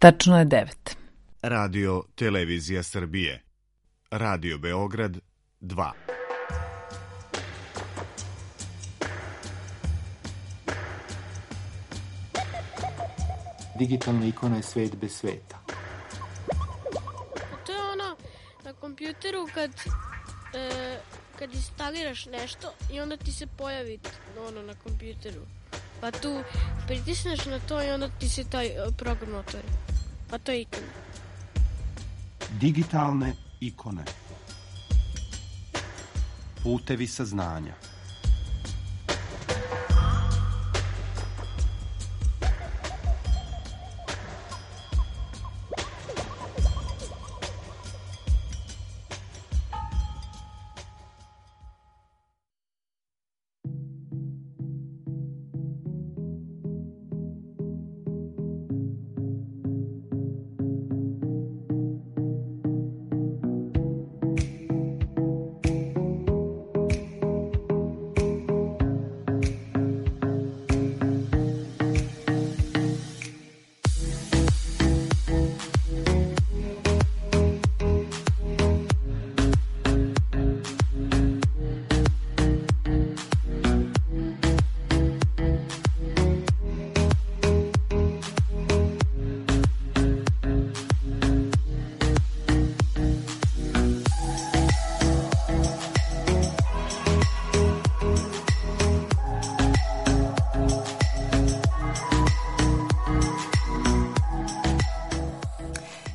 Tačno je 9. Radio Televizija Srbije. Radio Beograd 2. Digitalna ikona je svet bez sveta. To je ono na kompjuteru kad instaliraš nešto i onda ti se pojavi ono na kompjuteru. Pa tu pritisneš na to i onda ti se taj program otvori. Pa to je ikona. Digitalne ikone. Putevi saznanja.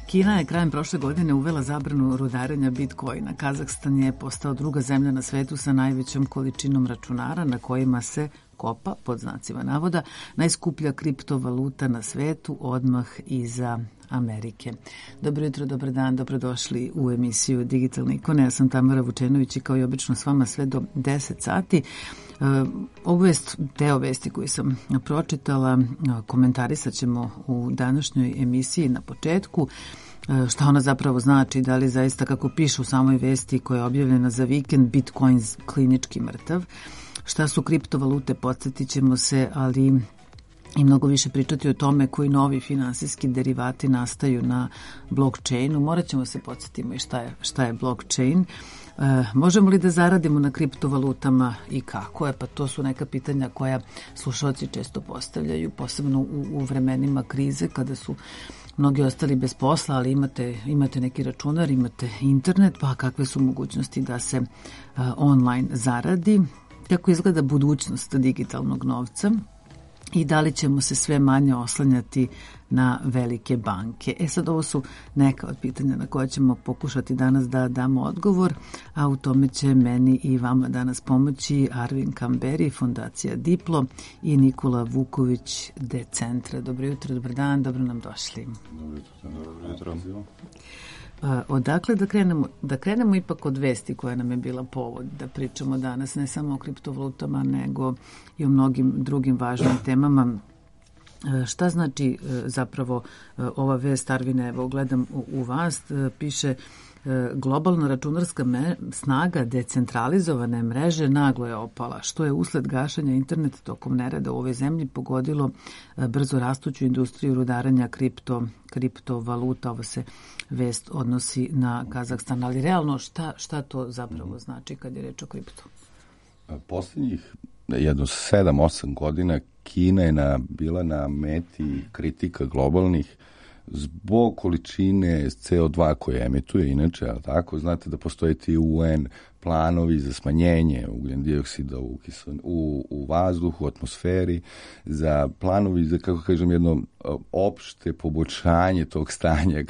Kina je krajem prošle godine uvela zabranu rudarenja bitcoina. Kazahstan je postao druga zemlja na svetu sa najvećom količinom računara na kojima se kopa, pod znacima navoda, najskuplja kriptovaluta na svetu odmah iza Amerike. Dobro jutro, dobar dan, dobrodošli u emisiju Digitalne ikone. Ja sam Tamara Vučenović i kao i obično s vama sve do 10 sati. Ovu deo vesti koju sam pročitala komentarisat ćemo u današnjoj emisiji na početku. Šta ona zapravo znači, da li zaista, kako piše u samoj vesti koja je objavljena za vikend, Bitcoin klinički mrtav. Šta su kriptovalute, podsjetit ćemo se, ali i mnogo više pričati o tome koji novi finansijski derivati nastaju na blockchainu. Morat ćemo se podsjetimo i šta je blockchain. Možemo li da zaradimo na kriptovalutama i kako je? Pa to su neka pitanja koja slušalci često postavljaju, posebno u vremenima krize kada su mnogi ostali bez posla, ali imate neki računar, imate internet, pa kakve su mogućnosti da se online zaradi? Kako izgleda budućnost digitalnog novca? I da li ćemo se sve manje oslanjati na velike banke? Sad ovo su neka od pitanja na koja ćemo pokušati danas da damo odgovor, a u tome će meni i vama danas pomoći Arvin Kamberi, Fondacija Diplo i Nikola Vuković, Decentra. Dobro jutro, dobar dan, dobro nam došli. Dobro jutro. Odakle da krenemo ipak od vesti koja nam je bila povod da pričamo danas ne samo o kriptovalutama nego i o mnogim drugim važnim temama. Šta znači zapravo ova vest, Arvine? Evo gledam u vas, piše globalna računarska snaga decentralizovane mreže naglo je opala, što je usled gašanja interneta tokom nereda u ovoj zemlji pogodilo brzo rastuću industriju rudarenja kriptovaluta. Ovo se vest odnosi na Kazahstan, ali realno šta to zapravo znači kad je reč o kriptu? Posljednjih jedno 7-8 godina Kina je bila na meti kritika globalnih zbog količine CO2 koje emituje, inače, ali tako, znate da postoje ti UN planovi za smanjenje ugljen dioksida u vazduhu, u atmosferi, za planovi za, kako kažem, jedno opšte poboljšanje tog stanja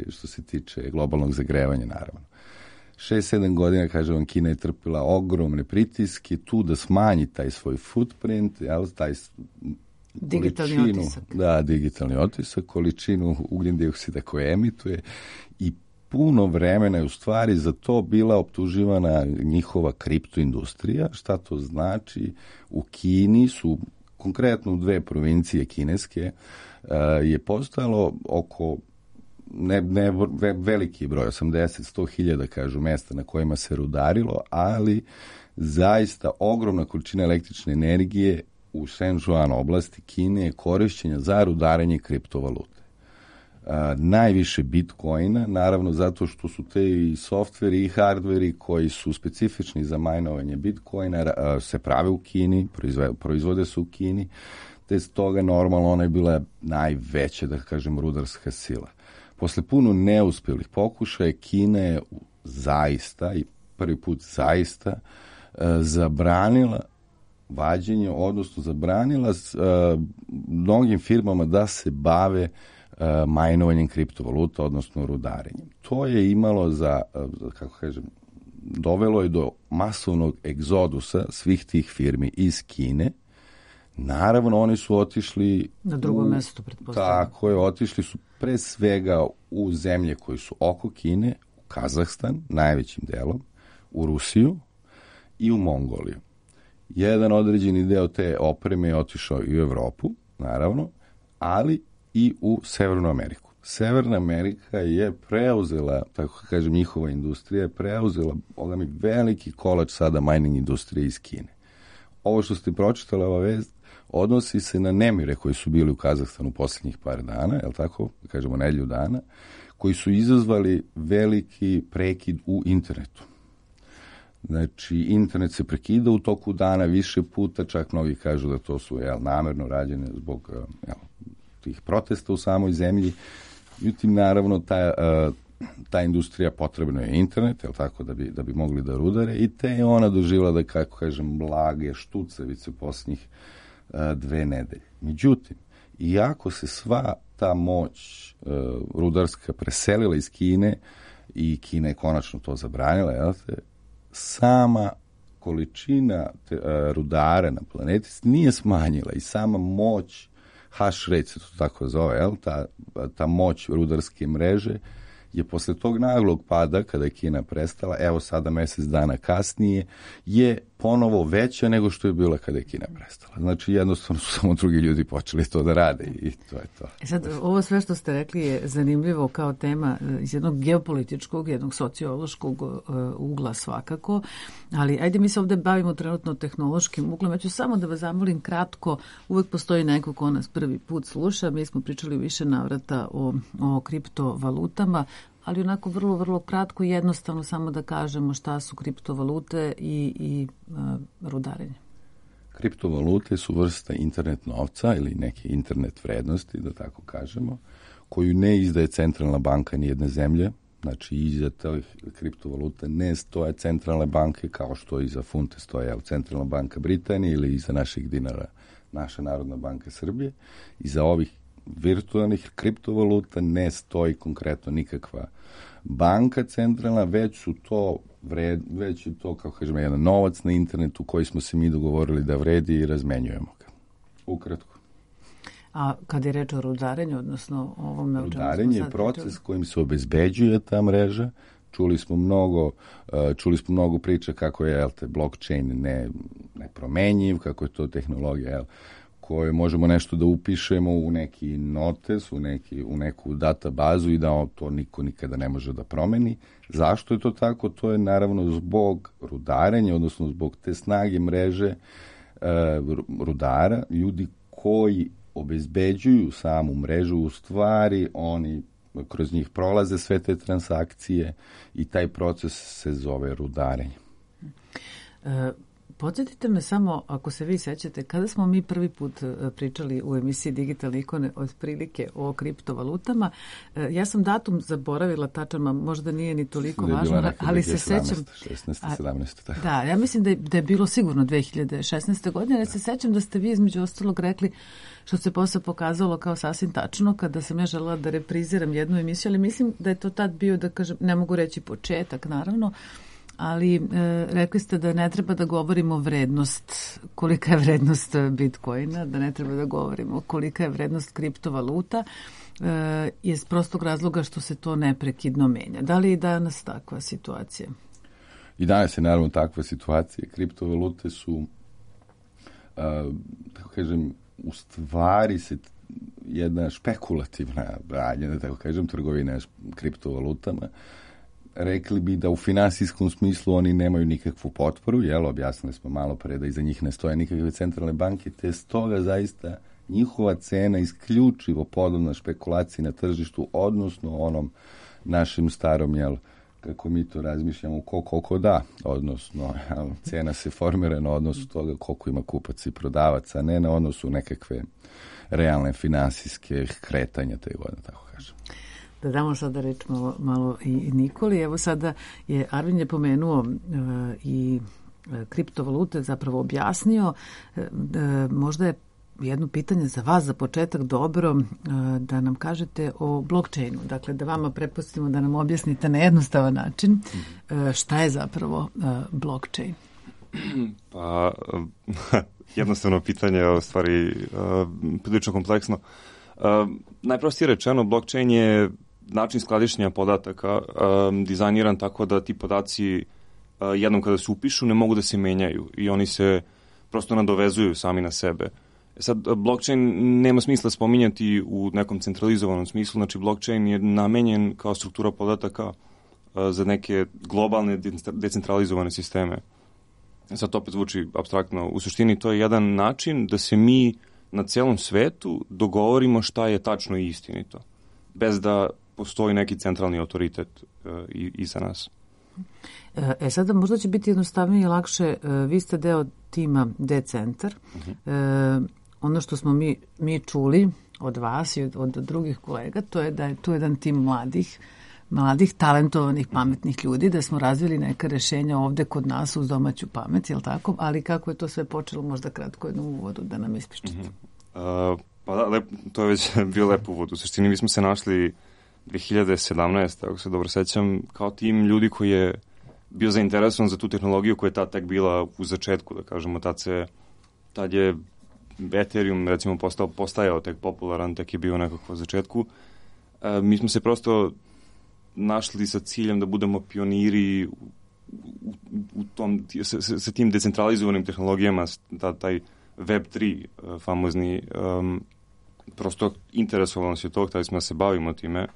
što se tiče globalnog zagrevanja, naravno. 6-7 godina, kažem vam, Kina je trpila ogromne pritiske tu da smanji taj svoj footprint, taj digitalni otisak. Da, digitalni otisak, količinu ugljen dioksida koje emituje i puno vremena je u stvari za to bila optuživana njihova kriptoindustrija. Šta to znači? U Kini su, konkretno u 2 provincije kineske, je postojalo oko veliki broj, 80-100 hiljada, kažu, mesta na kojima se rudarilo, ali zaista ogromna količina električne energije u Shenzhen oblasti Kine je korišćenja za rudarenje kriptovalute. najviše Bitcoina, naravno zato što su te i softveri i hardveri koji su specifični za majnovanje Bitcoina se prave u Kini, proizvode se u Kini, te stoga normalno ona je bila najveća, da kažem, rudarska sila. Posle puno neuspjelih pokušaja, Kina je zaista, i prvi put zaista, zabranila vađenje, odnosno zabranila mnogim firmama da se bave majnovanjem kriptovaluta, odnosno rudarenjem. To je imalo dovelo je do masovnog egzodusa svih tih firmi iz Kine. Naravno, oni su otišli na drugo mesto, pretpostavljam. Tako je, otišli su pre svega u zemlje koji su oko Kine, u Kazahstan, najvećim delom, u Rusiju i u Mongoliju. Jedan određeni deo te opreme je otišao i u Evropu, naravno, ali i u Severnu Ameriku. Severna Amerika je preuzela, tako kažem, njihova industrija je preuzela veliki kolač sada mining industrije iz Kine. Ovo što ste pročitali, ova vest, odnosi se na nemire koji su bili u Kazahstanu posljednjih par dana, je li tako, kažemo nedelju dana, koji su izazvali veliki prekid u internetu. Znači, internet se prekida u toku dana više puta, čak mnogi kažu da to su namerno rađene zbog tih protesta u samoj zemlji. Međutim, naravno, ta industrija potrebno je internet, je li tako, da bi mogli da rudare, i te je ona doživjela, da kako kažem, blage štucavice posljednjih 2 nedelje. Međutim, iako se sva ta moć rudarska preselila iz Kine i Kina je konačno to zabranila, jel te, sama količina rudara na planeti nije smanjila i sama moć, hash rate se to tako zove, jel, ta moć rudarske mreže je posle tog naglog pada, kada je Kina prestala, evo sada mjesec dana kasnije, je ponovo veća nego što je bila kada je Kina prestala. Znači, jednostavno su samo drugi ljudi počeli to da rade i to je to. Sad, ovo sve što ste rekli je zanimljivo kao tema iz jednog geopolitičkog, jednog sociološkog ugla svakako, ali ajde mi se ovdje bavimo trenutno tehnološkim uglom. Ja ću samo da vas zamolim kratko, uvek postoji neko ko nas prvi put sluša, mi smo pričali više navrata o kriptovalutama, ali onako vrlo, vrlo kratko i jednostavno samo da kažemo šta su kriptovalute i rudarenje. Kriptovalute su vrsta internet novca ili neke internet vrednosti, da tako kažemo, koju ne izdaje centralna banka nijedne zemlje. Znači, iza tih kriptovaluta ne stoje centralne banke kao što iza funte stoje centralna banka Britanije ili iza naših dinara naša Narodna banka Srbije. Iza ovih virtualnih kriptovaluta ne stoji konkretno nikakva banka centralna, već je to, kako kažemo, jedan novac na internetu koji smo se mi dogovorili da vredi i razmenjujemo ga. Ukratko. A kad je reč o rudarenju, odnosno ovome... Rudarenje je proces kojim se obezbeđuje ta mreža. Čuli smo mnogo priča kako je blockchain nepromenjiv, kako je to tehnologija koje možemo nešto da upišemo u neki notes, u neku databazu i da to niko nikada ne može da promeni. Zašto je to tako? To je naravno zbog rudarenja, odnosno zbog te snage mreže rudara, ljudi koji obezbeđuju samu mrežu, u stvari oni kroz njih prolaze sve te transakcije i taj proces se zove rudarenje. Podsjetite me samo, ako se vi sećate, kada smo mi prvi put pričali u emisiji Digitalne ikone otprilike o kriptovalutama, ja sam datum zaboravila tačan, možda nije ni toliko važno, ali se sećam... 16. 17. Tako. Da, ja mislim da je bilo sigurno 2016. godine, jer se sećam da ste vi između ostalog rekli, što se posle pokazalo kao sasvim tačno, kada sam ja želela da repriziram jednu emisiju, ali mislim da je to tad bio, da kažem, ne mogu reći početak, naravno, ali rekli ste da ne treba da govorimo vrednost, kolika je vrednost Bitcoina, da ne treba da govorimo kolika je vrednost kriptovaluta, iz prostog razloga što se to neprekidno menja. Da li je danas takva situacija? I danas je naravno takva situacija. Kriptovalute su, tako kažem, u stvari se jedna špekulativna radnja, da tako kažem, trgovina kriptovalutama. Rekli bi da u finansijskom smislu oni nemaju nikakvu potporu, objasnili smo malo pre da iza njih ne stoje nikakve centralne banke, te stoga zaista njihova cena isključivo podobna špekulaciji na tržištu, odnosno onom našem starom, kako mi to razmišljamo, koliko da, odnosno cena se formira na odnosu toga koliko ima kupaca i prodavaca, ne na odnosu nekakve realne finansijske kretanja, te godine, tako kažem. Da damo sada reč malo i Nikoli. Evo sada Arvin je pomenuo i kriptovalute, zapravo objasnio. Možda je jedno pitanje za vas za početak dobro da nam kažete o blockchainu. Dakle, da vama prepustimo da nam objasnite na jednostavan način šta je zapravo blockchain. Pa, jednostavno pitanje je u stvari prilično kompleksno. Najprostije rečeno, blockchain je način skladištenja podataka dizajniran tako da ti podaci jednom kada se upišu ne mogu da se menjaju i oni se prosto nadovezuju sami na sebe. Sad, blockchain nema smisla spominjati u nekom centralizovanom smislu, znači blockchain je namenjen kao struktura podataka za neke globalne decentralizovane sisteme. Sad to opet zvuči apstraktno. U suštini to je jedan način da se mi na celom svetu dogovorimo šta je tačno i istinito, bez da postoji neki centralni autoritet iza nas. Sada možda će biti jednostavnije i lakše. Vi ste deo tima D-centar. Ono što smo mi čuli od vas i od drugih kolega, to je da je tu jedan tim mladih, talentovanih, pametnih ljudi, da smo razvili neka rešenja ovde kod nas uz domaću pamet, je li tako? Ali kako je to sve počelo, možda kratko jednu uvodu da nam ispričate. Pa da, to je već bio lep uvod. U suštini mi smo se našli 2017. ako se dobro sećam, kao tim ljudi koji je bio zainteresovan za tu tehnologiju koja je tad tek bila u začetku, da kažemo, tad je Ethereum recimo postajao tek popularan, tek je bio nekako u začetku. Mi smo se prosto našli sa ciljem da budemo pioniri u tom, sa tim decentralizovanim tehnologijama, taj Web3 famozni, prosto interesovalo nas je to, hteli smo da se bavimo time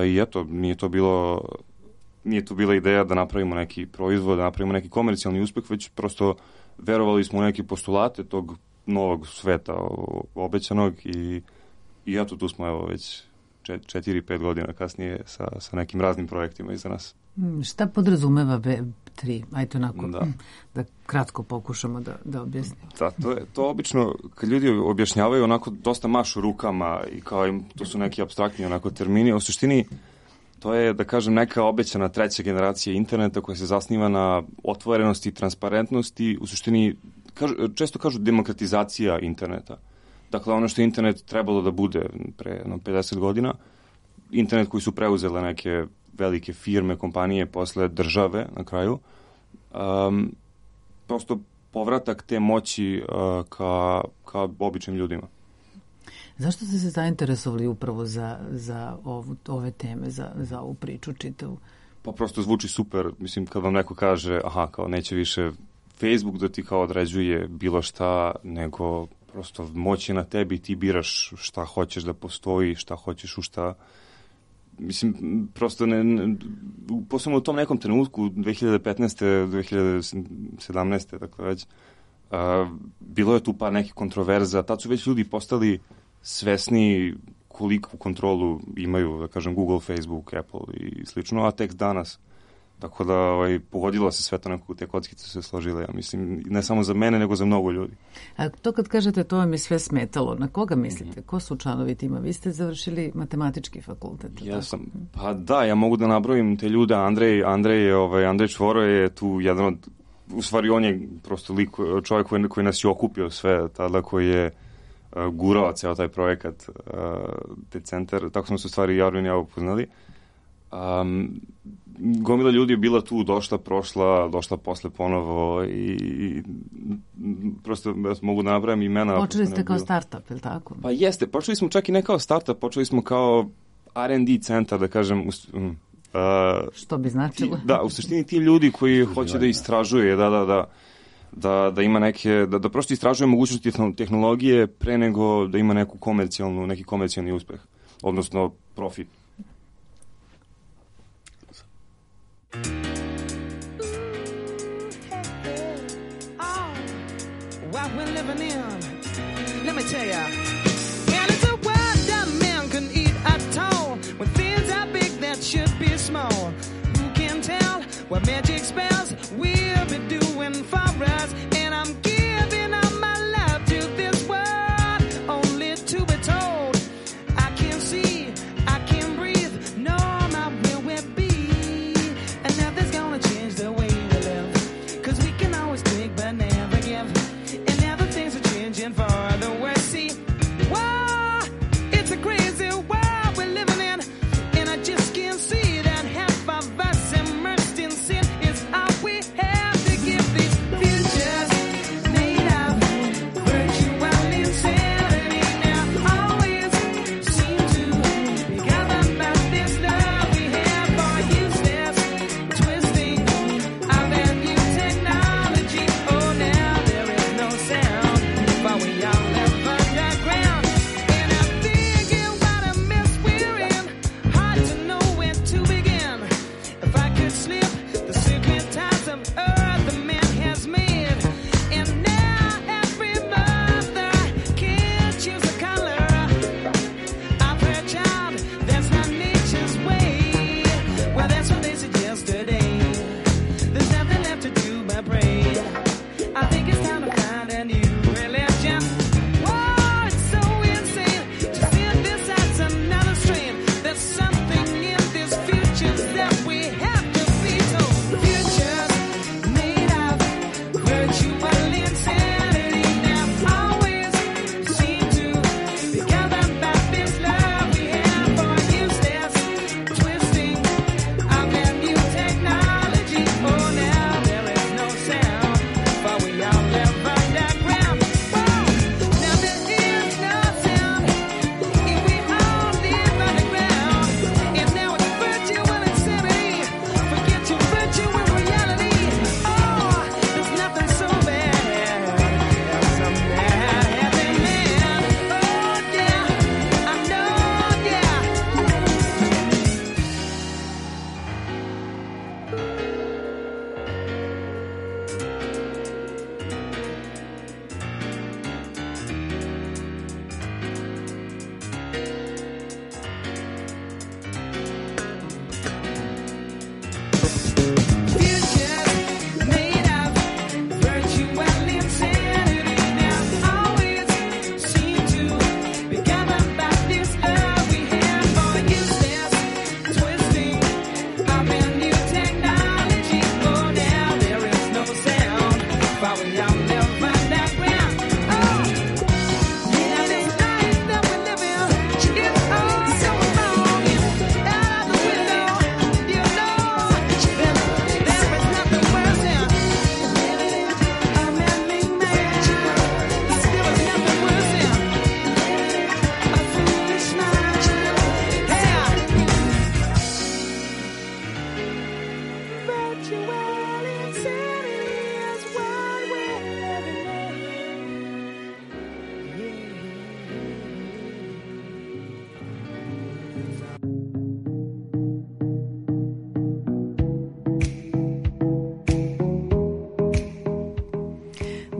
i eto, nije to bila ideja da napravimo neki proizvod, da napravimo neki komercijalni uspeh, već prosto verovali smo u neke postulate tog novog sveta obećanog i eto, tu smo evo već 4-5 godina kasnije sa nekim raznim projektima iza nas. Šta podrazumeva Web3? Ajde onako, da kratko pokušamo da objasnimo. Da, to obično, kad ljudi objašnjavaju, onako dosta mašu rukama i kao to su neki apstraktni onako termini. U suštini, to je, da kažem, neka obećana treća generacija interneta koja se zasniva na otvorenosti i transparentnosti. U suštini, često kažu demokratizacija interneta. Dakle, ono što je internet trebalo da bude pre 50 godina, internet koji su preuzele neke velike firme, kompanije, posle države na kraju, prosto povratak te moći ka običnim ljudima. Zašto ste se zainteresovali upravo za ove teme, za ovu priču čitavu? Pa prosto zvuči super. Mislim, kad vam neko kaže, kao neće više Facebook da ti kao određuje bilo šta, nego prosto moć je na tebi, ti biraš šta hoćeš da postoji, šta hoćeš u šta. Mislim, prosto posebno u tom nekom trenutku, 2015. 2017. dakle već, bilo je tu par nekih kontroverza, tad su već ljudi postali svesni koliku kontrolu imaju, da kažem, Google, Facebook, Apple i slično, a tek danas. Tako da pogodilo se sve to nekako, te kockice se složile, ja mislim, ne samo za mene, nego za mnogo ljudi. A to kad kažete to vam je sve smetalo, na koga mislite? Ko su članovi tima? Vi ste završili matematički fakultet. Ja sam, pa da, ja mogu da nabrojim te ljude. Andrej Čvoro je tu jedan od, u stvari on je prosto čovjek koji nas je okupio sve, tada koji je gurao ceo taj projekat, te centar, tako smo se u stvari Arvin i ja upoznali. Gomila ljudi je bila tu, došla posle ponovo i prosto mogu da nabrajam imena. Počeli ste kao startup, je li tako? Pa jeste, počeli smo čak i ne kao startup, počeli smo kao R&D centar, da kažem. Što bi značilo? U suštini ti ljudi koji hoće da istražuje, da ima neke, da prosto istražuje mogućnosti tehnologije pre nego da ima neki komercijalni uspeh, odnosno profit. What we're living in, let me tell ya.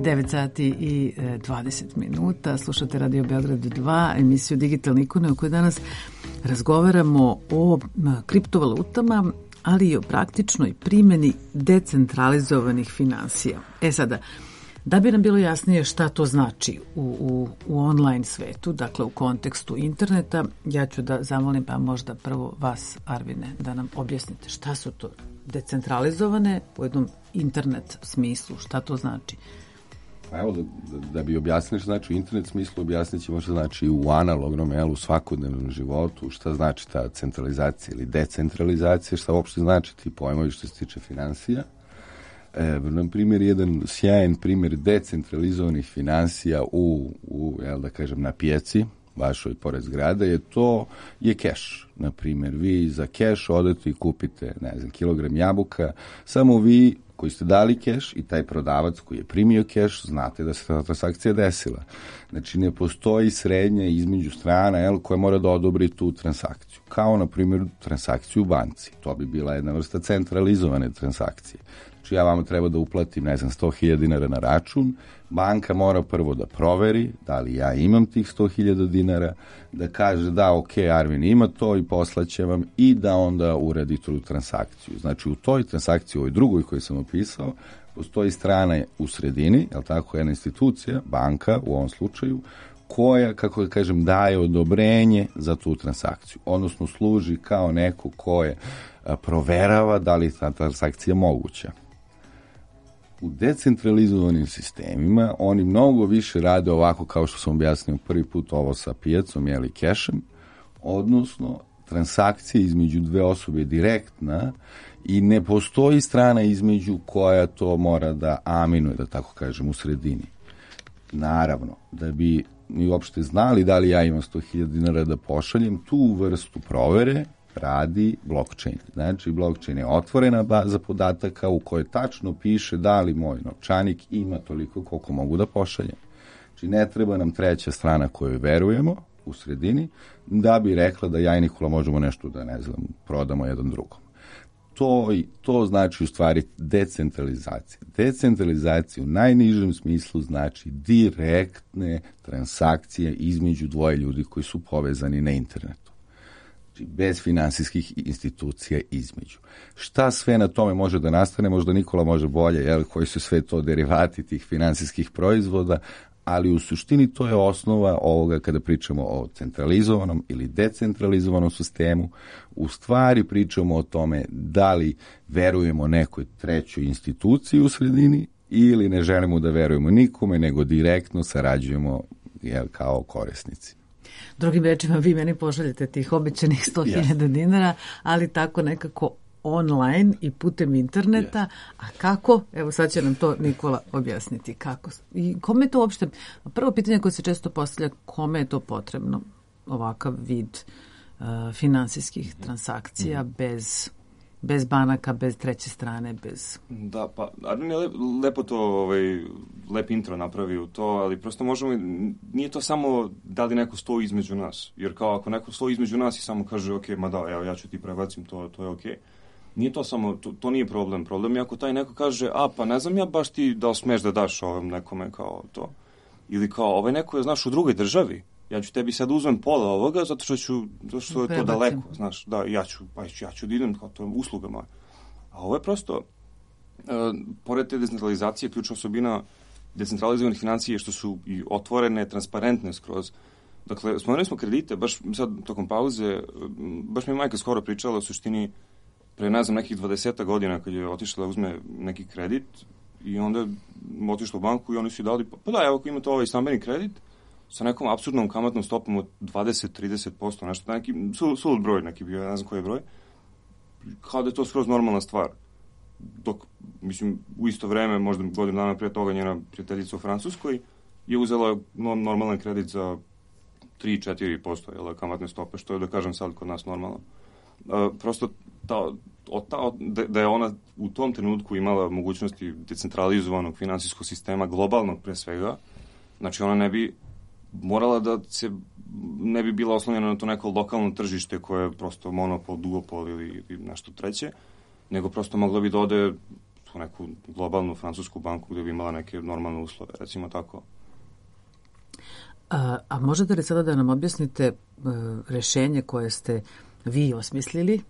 9 sati i 20 minuta. Slušate Radio Beograd 2, emisiju Digitalne ikone, u kojoj danas razgovaramo o kriptovalutama, ali i o praktičnoj primjeni decentralizovanih finansija. Sada, da bi nam bilo jasnije šta to znači u online svetu, dakle u kontekstu interneta, ja ću da zamolim pa možda prvo vas, Arvine, da nam objasnite šta su to decentralizovane u jednom internet smislu, šta to znači? Evo, da bi objasnili šta znači u internet smislu, objasnit ćemo šta znači u analognom, u svakodnevnom životu, šta znači ta centralizacija ili decentralizacija, šta uopšte znači ti pojmovi što se tiče finansija. Na primjer, jedan sjajan primjer decentralizovanih finansija na pijaci, vašoj pored zgrada, je keš. Na primjer, vi za keš odete i kupite, kilogram jabuka, samo vi koji ste dali keš i taj prodavac koji je primio keš, znate da se ta transakcija desila. Znači, ne postoji srednja između strana koja mora da odobri tu transakciju. Kao, na primjer, transakciju u banci. To bi bila jedna vrsta centralizovane transakcije. Znači, ja vama treba da uplatim, 100.000 dinara na račun, banka mora prvo da proveri da li ja imam tih 100.000 dinara, da kaže da, ok, Arvin ima to i poslaće vam i da onda uradi tu transakciju. Znači, u toj transakciji, ovoj drugoj koju sam opisao, postoji strana u sredini, jedna institucija, banka u ovom slučaju, koja, kako da kažem, daje odobrenje za tu transakciju. Odnosno, služi kao neko koje proverava da li ta transakcija moguća. U decentralizovanim sistemima oni mnogo više rade ovako kao što sam objasnio prvi put ovo sa pijacom ili kešem, odnosno transakcija između dve osobe je direktna i ne postoji strana između koja to mora da aminuje, da tako kažem, u sredini. Naravno, da bi mi uopšte znali da li ja imam 100.000 dinara da pošaljem, tu vrstu provere radi blockchain. Znači, blockchain je otvorena baza podataka u kojoj tačno piše da li moj novčanik ima toliko koliko mogu da pošaljem. Znači, ne treba nam treća strana kojoj verujemo u sredini da bi rekla da ja i Nikola možemo nešto da, prodamo jedan drugom. To znači u stvari decentralizacija. Decentralizacija u najnižem smislu znači direktne transakcije između dvoje ljudi koji su povezani na internetu. Bez finansijskih institucija između. Šta sve na tome može da nastane, možda Nikola može bolje, koji su sve to derivati tih finansijskih proizvoda, ali u suštini to je osnova ovoga kada pričamo o centralizovanom ili decentralizovanom sistemu. U stvari pričamo o tome da li verujemo nekoj trećoj instituciji u sredini ili ne želimo da verujemo nikome, nego direktno sarađujemo kao korisnici. Drugim rečima, vi meni pošaljete tih obećanih 100.000 dinara, ali tako nekako online i putem interneta. A kako? Evo sad će nam to Nikola objasniti. Kako? I kome je to uopšte? Prvo pitanje koje se često postavlja, kome je to potrebno? Ovakav vid finansijskih transakcija bez banaka, bez treće strane, bez... Da, pa Armin je lepo to, lep intro napravio u to, ali prosto možemo, nije to samo da li neko stoji između nas, jer kao ako neko stoji između nas i samo kaže, ok, ma da, evo ja ću ti prebacim, to je ok. Nije to samo, to nije problem. Problem je ako taj neko kaže, pa ne znam ja baš ti da smeš da daš ovom nekome kao to. Ili kao, ovaj neko je, znaš, u drugoj državi, ja ću tebi sad uzmem pola ovoga zato što je to daleko, znaš, da, ja ću da idem, kao to je usluga moja. A ovo je prosto, pored te decentralizacije, ključna osobina decentralizovanih financija što su i otvorene, transparentne skroz. Dakle, spomenuli smo kredite, baš sad tokom pauze, baš mi je majka skoro pričala o suštini pre, ne znam, nekih 20 godina kad je otišla da uzme neki kredit i onda je otišla u banku i oni su dali, pa da, evo ako imate ovaj stambeni kredit, sa nekom apsurdnom kamatnom stopom od 20-30%, nešto, neki sulud broj neki bio, ne znam koji je broj, kao da je to skroz normalna stvar. Dok, mislim, u isto vreme, možda godinu dana prije toga, njena prijateljica u Francuskoj je uzela normalan kredit za 3-4% kamatne stope, što je, da kažem, sad kod nas normalno. Prosto, da je ona u tom trenutku imala mogućnosti decentralizovanog finansijskog sistema, globalnog pre svega, znači ona ne bi morala da se ne bi bila oslonjena na to neko lokalno tržište koje je prosto monopol, duopol ili nešto treće, nego prosto mogla bi da ode u neku globalnu francusku banku gde bi imala neke normalne uslove, recimo tako. A možete li sada da nam objasnite rešenje koje ste vi osmislili,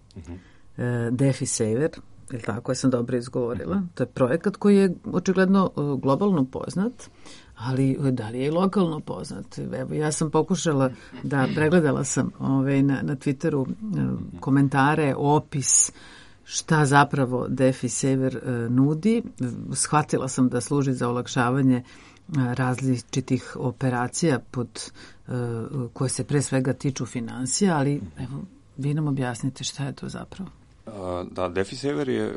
DeFi Saver, ili tako, ja sam dobro izgovorila, to je projekat koji je očigledno globalno poznat, ali da li je i lokalno poznat? Evo, ja sam pokušala da pregledala sam na Twitteru komentare, opis, šta zapravo DeFi Saver nudi. Shvatila sam da služi za olakšavanje različitih operacija koje se pre svega tiču finansija, ali evo, vi nam objasnite šta je to zapravo. Da, DeFi Saver je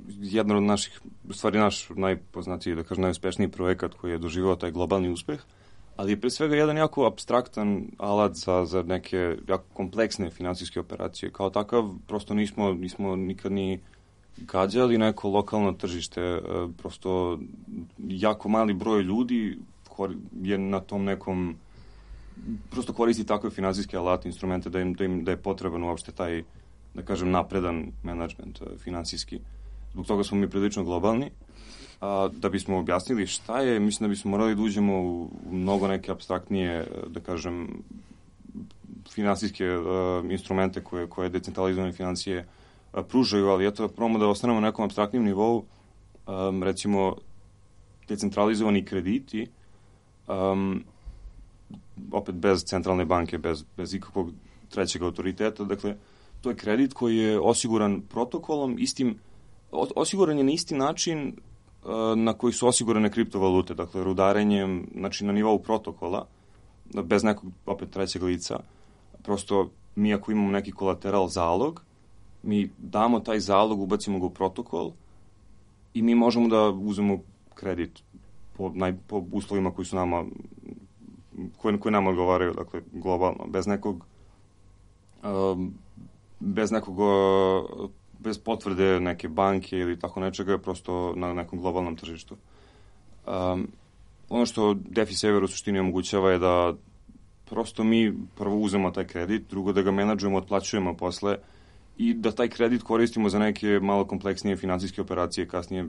jedan od naših, u stvari naš najpoznatiji, da kažem, najuspešniji projekat koji je doživao taj globalni uspeh, ali je pre svega jedan jako apstraktan alat za neke jako kompleksne finansijske operacije. Kao takav, prosto nismo nikad ni gađali neko lokalno tržište, prosto jako mali broj ljudi je na tom nekom, prosto koristi takve finansijske alate, instrumente da je potreban uopšte taj, da kažem, napredan menadžment finansijski. Zbog toga smo mi prilično globalni. Da bismo objasnili šta je, mislim da bismo morali da uđemo u mnogo neke apstraktnije, da kažem, finansijske instrumente koje decentralizovane financije pružaju, ali eto, probamo da ostanemo na nekom apstraktnim nivou, recimo, decentralizovani krediti, opet bez centralne banke, bez ikakvog trećeg autoriteta, dakle, to je kredit koji je osiguran protokolom, osiguran je na isti način na koji su osigurane kriptovalute, dakle, rudarenjem, znači na nivou protokola, bez nekog, opet, trećeg lica. Prosto, mi ako imamo neki kolateral, zalog, mi damo taj zalog, ubacimo ga u protokol i mi možemo da uzmemo kredit po uslovima koji su nama, koji nama odgovaraju, dakle, globalno, bez potvrde neke banke ili tako nečega, prosto na nekom globalnom tržištu. Ono što DeFi Saver u suštini omogućava je da prosto mi prvo uzemo taj kredit, drugo da ga menadžujemo, otplaćujemo posle i da taj kredit koristimo za neke malo kompleksnije finansijske operacije kasnije,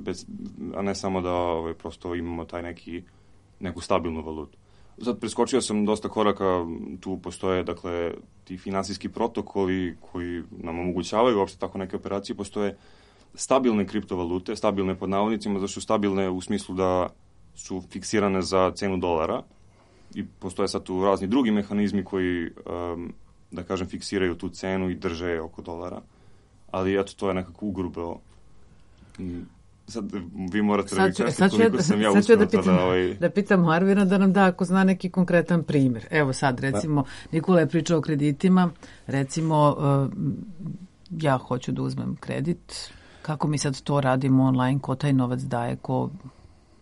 a ne samo da prosto imamo taj neku stabilnu valutu. Sad preskočio sam dosta koraka, tu postoje, dakle, ti finansijski protokoli koji nam omogućavaju uopšte tako neke operacije, postoje stabilne kriptovalute, stabilne pod navodnicima, zato su stabilne u smislu da su fiksirane za cenu dolara i postoje sad tu razni drugi mehanizmi koji, da kažem, fiksiraju tu cenu i drže oko dolara, ali eto, to je nekako ugrubeo. Sad vi morate da mi kažete koliko sam ja uspeo da pitam Arvina da nam da ako zna neki konkretan primjer. Evo sad, recimo, Nikola je pričao o kreditima, recimo, ja hoću da uzmem kredit, kako mi sad to radimo online, ko taj novac daje, ko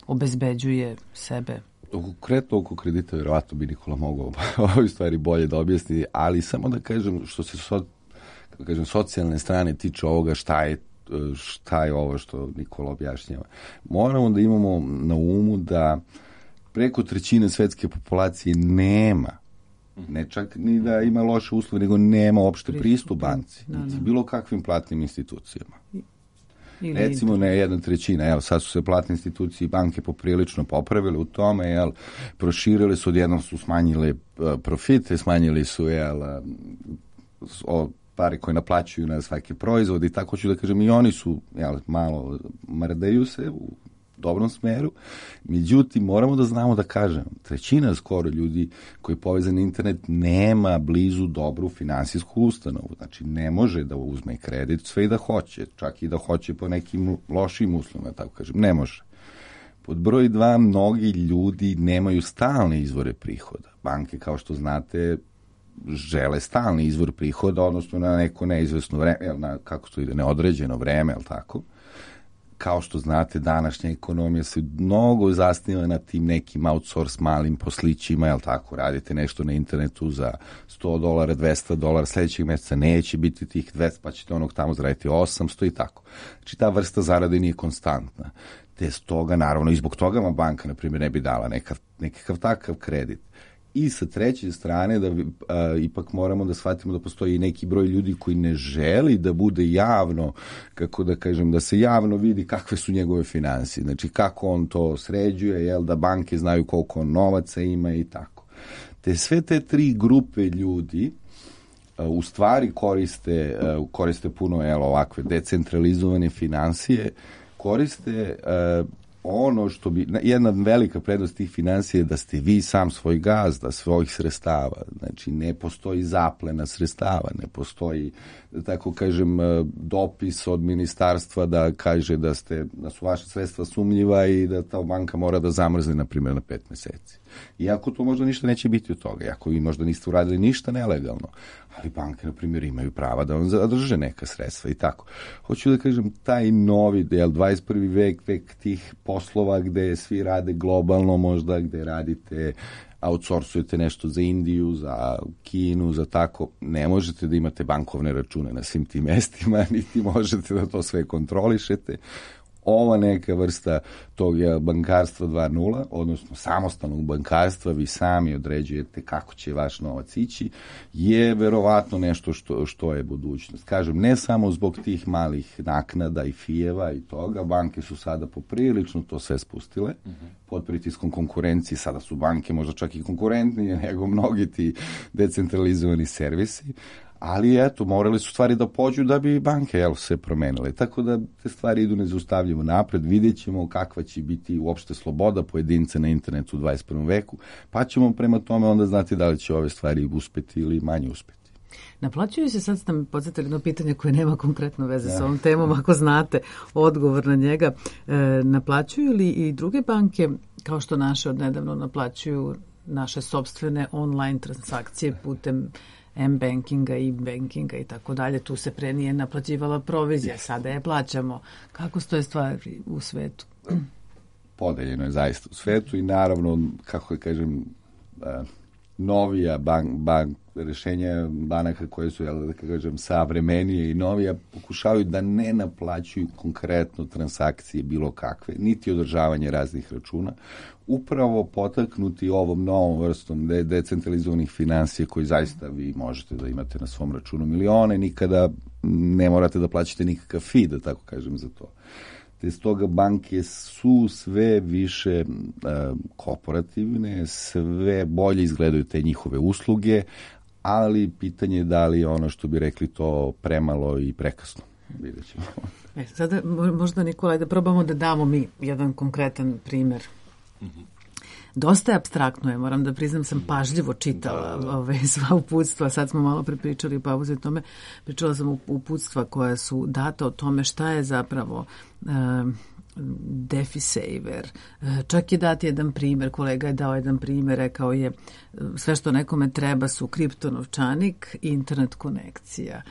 obezbeđuje sebe? Konkretno oko kredita, vjerovatno bi Nikola mogao ove stvari bolje da objasni, ali samo da kažem što se socijalne strane tiče ovoga, šta je ovo što Nikola objašnjava. Moramo da imamo na umu da preko trećine svetske populacije nema, ne čak ni da ima loše uslove, nego nema uopšte pristup banci, bilo kakvim platnim institucijama. Recimo ne 1/3, evo sad su se platne institucije i banke poprilično popravile u tome, proširile su, odjednom su smanjile profite, smanjili su pare koje naplaćuju na svaki proizvod i tako ću da kažem, i oni su malo mrdaju se u dobrom smeru. Međutim, moramo da znamo da kažem, trećina skoro ljudi koji je povezan na internet nema blizu dobru finansijsku ustanovu. Znači, ne može da uzme kredit sve i da hoće, čak i da hoće po nekim lošim uslovima, tako kažem, ne može. Pod broj 2, mnogi ljudi nemaju stalne izvore prihoda. Banke, kao što znate, žele stalni izvor prihoda, odnosno na neko neizvesno vreme, kako to ide, neodređeno vreme, ali tako. Kao što znate, današnja ekonomija se mnogo zasniva na tim nekim outsource malim poslićima, jel tako, radite nešto na internetu za $100, $200, sljedećeg mjeseca neće biti tih 200, pa ćete onog tamo zaraditi 800 i tako. Znači, ta vrsta zarade nije konstantna. Te stoga, naravno, i zbog toga vam banka, na primjer, ne bi dala nekakav takav kredit. I sa treće strane da ipak moramo da shvatimo da postoji i neki broj ljudi koji ne želi da bude javno, kako da kažem, da se javno vidi kakve su njegove finansije, znači kako on to sređuje, jel, da banke znaju koliko on novaca ima i tako. Te sve te tri grupe ljudi u stvari koriste puno ovakve decentralizovane finansije, koriste ono što bi, jedna velika prednost tih finansija je da ste vi sam svoj gazda svojih sredstava, znači ne postoji zaplena sredstava, ne postoji, da tako kažem, dopis od ministarstva da kaže da su vaše sredstva sumnjiva i da ta banka mora da zamrzne, na primjer, na 5 meseci. Iako to možda ništa neće biti od toga, iako vi možda niste uradili ništa nelegalno, ali banke, na primjer, imaju prava da vam zadrže neka sredstva i tako. Hoću da kažem, taj novi 21. vek tih poslova gde svi rade globalno, možda gde radite, outsourcujete nešto za Indiju, za Kinu, za tako, ne možete da imate bankovne račune na svim tim mestima, niti možete da to sve kontrolišete. Ova neka vrsta tog bankarstva 2.0, odnosno samostalnog bankarstva, vi sami određujete kako će vaš novac ići, je verovatno nešto što je budućnost. Kažem, ne samo zbog tih malih naknada i fijeva i toga, banke su sada poprilično to sve spustile, pod pritiskom konkurencije, sada su banke možda čak i konkurentnije nego mnogi ti decentralizovani servisi, ali eto, morali su stvari da pođu da bi banke se promenile. Tako da te stvari idu nezaustavljivo napred, vidjet ćemo kakva će biti uopšte sloboda pojedinca na internetu u 21. veku, pa ćemo prema tome onda znati da li će ove stvari uspeti ili manje uspeti. Naplaćuju se, sad ste mi podsjetili jedno pitanje koje nema konkretno veze s ovom temom, ako znate odgovor na njega. Naplaćuju li i druge banke, kao što naše odnedavno naplaćuju naše sopstvene online transakcije putem M-bankinga, e-bankinga i tako dalje, tu se pre nije naplaćivala provizija, sada je plaćamo. Kako stoje stvari u svetu? Podeljeno je zaista u svetu i naravno, kako da kažem, novija rešenja banaka koje su, da kažem, savremenije i novija, pokušavaju da ne naplaćuju konkretno transakcije bilo kakve, niti održavanje raznih računa, upravo potaknuti ovom novom vrstom decentralizovanih finansija koji zaista vi možete da imate na svom računu milione, nikada ne morate da plaćate nikakav fee, da tako kažem, za to. Te stoga banke su sve više korporativne, sve bolje izgledaju te njihove usluge, ali pitanje je da li ono što bi rekli to premalo i prekasno. Vidjet ćemo. Sada možda, Nikolaj, da probamo da damo mi jedan konkretan primer. Dosta je apstraktno je, moram da priznam, sam pažljivo čitala sva uputstva, sad smo malo prepričali u pauzi o tome, pričala sam uputstva koja su data o tome šta je zapravo DefiSaver. Čak je dat jedan primer, kolega je dao jedan primer, rekao je sve što nekome treba su kriptonovčanik i internet konekcija.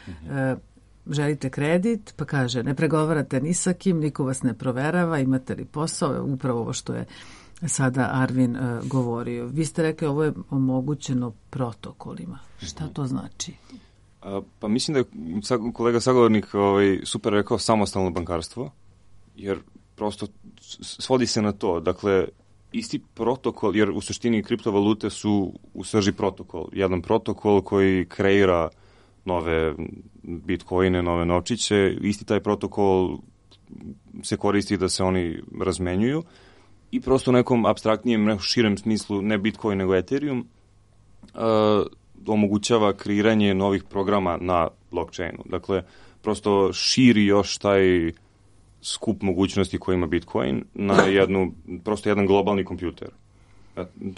Želite kredit, pa kaže ne pregovarate ni sa kim, niko vas ne proverava, imate li posao, upravo ovo što je sada Arvin govorio. Vi ste rekli ovo je omogućeno protokolima. Šta to znači? Pa mislim da je kolega sagovornik super rekao samostalno bankarstvo, jer prosto svodi se na to. Dakle, isti protokol, jer u suštini kriptovalute su u srži protokol. Jedan protokol koji kreira nove bitcoine, nove novčiće. Isti taj protokol se koristi da se oni razmenjuju. I prosto u nekom apstraktnijem, širem smislu, ne Bitcoin nego Ethereum, omogućava kreiranje novih programa na blockchainu. Dakle, prosto širi još taj skup mogućnosti koji ima Bitcoin na prosto jedan globalni kompjuter.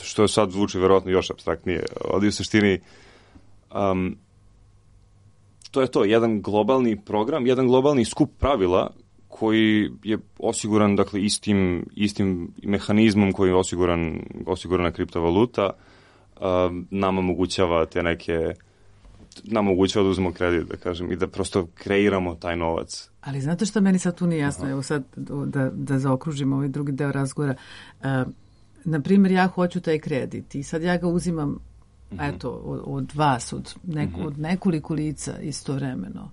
Što sad zvuči verovatno još apstraktnije. Ali u suštini to je to, jedan globalni program, jedan globalni skup pravila koji je osiguran, dakle, istim mehanizmom koji je osigurana kriptovaluta, nama omogućava nama omogućava da uzmemo kredit, da kažem, i da prosto kreiramo taj novac. Ali znate što meni sad tu nije jasno? Evo sad da zaokružimo ovaj drugi deo razgovora. Naprimjer, ja hoću taj kredit i sad ja ga uzimam eto, od vas, od nekoliko lica istovremeno.